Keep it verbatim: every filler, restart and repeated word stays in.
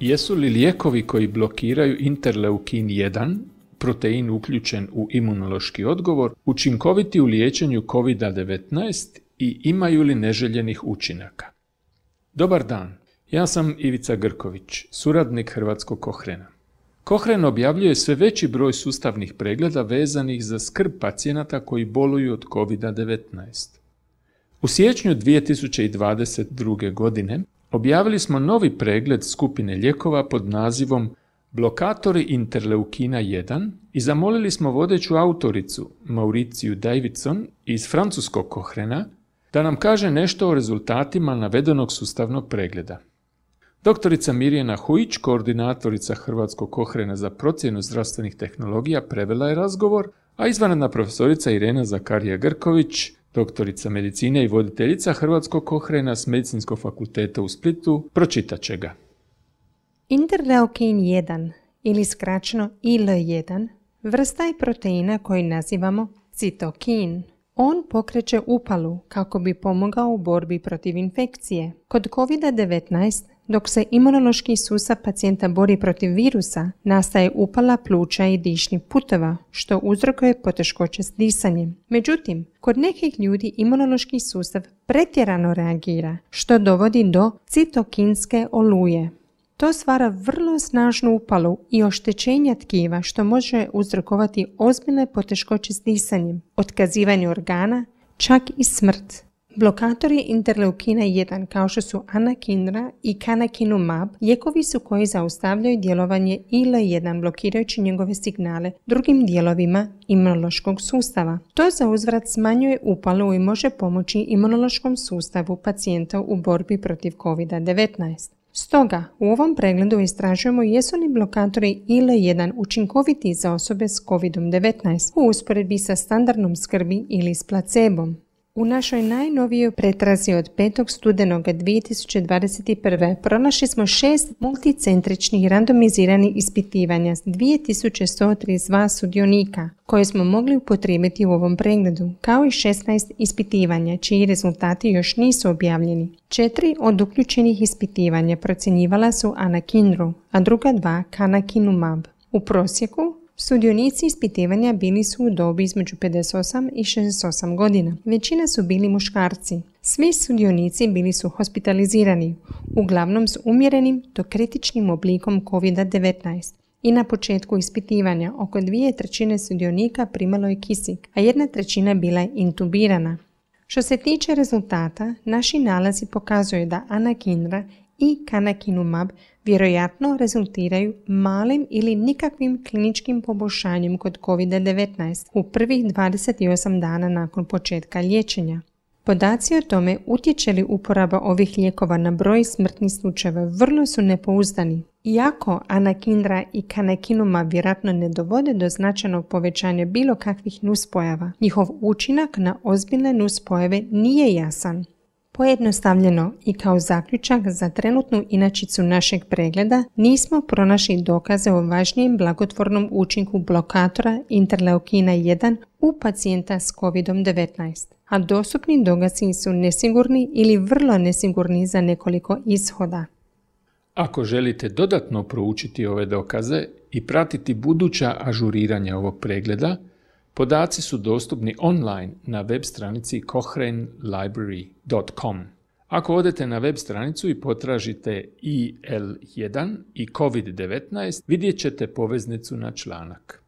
Jesu li lijekovi koji blokiraju interleukin jedan, protein uključen u imunološki odgovor, učinkoviti u liječenju kovid devetnaest i imaju li neželjenih učinaka? Dobar dan, ja sam Ivica Grković, suradnik Hrvatskog Kohrena. Kohren objavljuje sve veći broj sustavnih pregleda vezanih za skrb pacijenata koji boluju od kovid devetnaest. U siječnju dvije tisuće dvadeset druge. godine objavili smo novi pregled skupine lijekova pod nazivom Blokatori interleukina jedan i zamolili smo vodeću autoricu Mauriciju Davidson iz francuskog Kohrena da nam kaže nešto o rezultatima navedenog sustavnog pregleda. Doktorica Mirjana Hujić, koordinatorica Hrvatskog Kohrena za procjenu zdravstvenih tehnologija, prevela je razgovor, a izvanredna profesorica Irena Zakarija Grković, doktorica medicine i voditeljica Hrvatskog Kohrena s Medicinskog fakulteta u Splitu, pročitat će ga. Interleukin jedan ili skraćeno I L jedan vrsta je proteina koji nazivamo citokin. On pokreće upalu kako bi pomogao u borbi protiv infekcije. Kod kovid devetnaest, dok se imunološki sustav pacijenta bori protiv virusa, nastaje upala pluća i dišnih puteva, što uzrokuje poteškoće s disanjem. Međutim, kod nekih ljudi imunološki sustav pretjerano reagira, što dovodi do citokinske oluje. To stvara vrlo snažnu upalu i oštećenja tkiva, što može uzrokovati ozbiljne poteškoće s disanjem, otkazivanje organa, čak i smrt. Blokatori interleukina jedan kao što su anakinra i canakinumab lijekovi su koji zaustavljaju djelovanje I L jedan blokirajući njegove signale drugim dijelovima imunološkog sustava. To za uzvrat smanjuje upalu i može pomoći imunološkom sustavu pacijenta u borbi protiv kovid devetnaest. Stoga, u ovom pregledu istražujemo jesu li blokatori I L jedan učinkoviti za osobe s kovid devetnaest u usporedbi sa standardnom skrbi ili s placebom. U našoj najnovijoj pretrazi od petog studenog dvije tisuće dvadeset prve. pronašli smo šest multicentričnih randomiziranih ispitivanja s dvije tisuće sto trideset dva sudionika koje smo mogli upotrijebiti u ovom pregledu, kao i šesnaest ispitivanja čiji rezultati još nisu objavljeni. Četiri od uključenih ispitivanja procjenjivala su anakinru, a druga dva canakinumab. U prosjeku sudionici ispitivanja bili su u dobi između pedeset osam i šezdeset osam godina. Većina su bili muškarci. Svi sudionici bili su hospitalizirani, uglavnom s umjerenim do kritičnim oblikom kovid devetnaest. I na početku ispitivanja oko dvije trećine sudionika primalo je kisik, a jedna trećina bila je intubirana. Što se tiče rezultata, naši nalazi pokazuju da anakinra i canakinumab vjerojatno rezultiraju malim ili nikakvim kliničkim poboljšanjem kod kovid devetnaest u prvih dvadeset osam dana nakon početka liječenja. Podaci o tome utječe li uporaba ovih lijekova na broj smrtnih slučajeva vrlo su nepouzdani. Iako anakinra i canakinumab vjerojatno ne dovode do značajnog povećanja bilo kakvih nuspojava, njihov učinak na ozbiljne nuspojave nije jasan. Pojednostavljeno i kao zaključak za trenutnu inačicu našeg pregleda nismo pronašli dokaze o važnijem blagotvornom učinku blokatora interleukina jedan u pacijenta s kovid devetnaest, a dostupni dokazi su nesigurni ili vrlo nesigurni za nekoliko ishoda. Ako želite dodatno proučiti ove dokaze i pratiti buduća ažuriranja ovog pregleda, podaci su dostupni online na web stranici cochrane library dot com. Ako odete na web stranicu i potražite I L jedan i kovid devetnaest, vidjet ćete poveznicu na članak.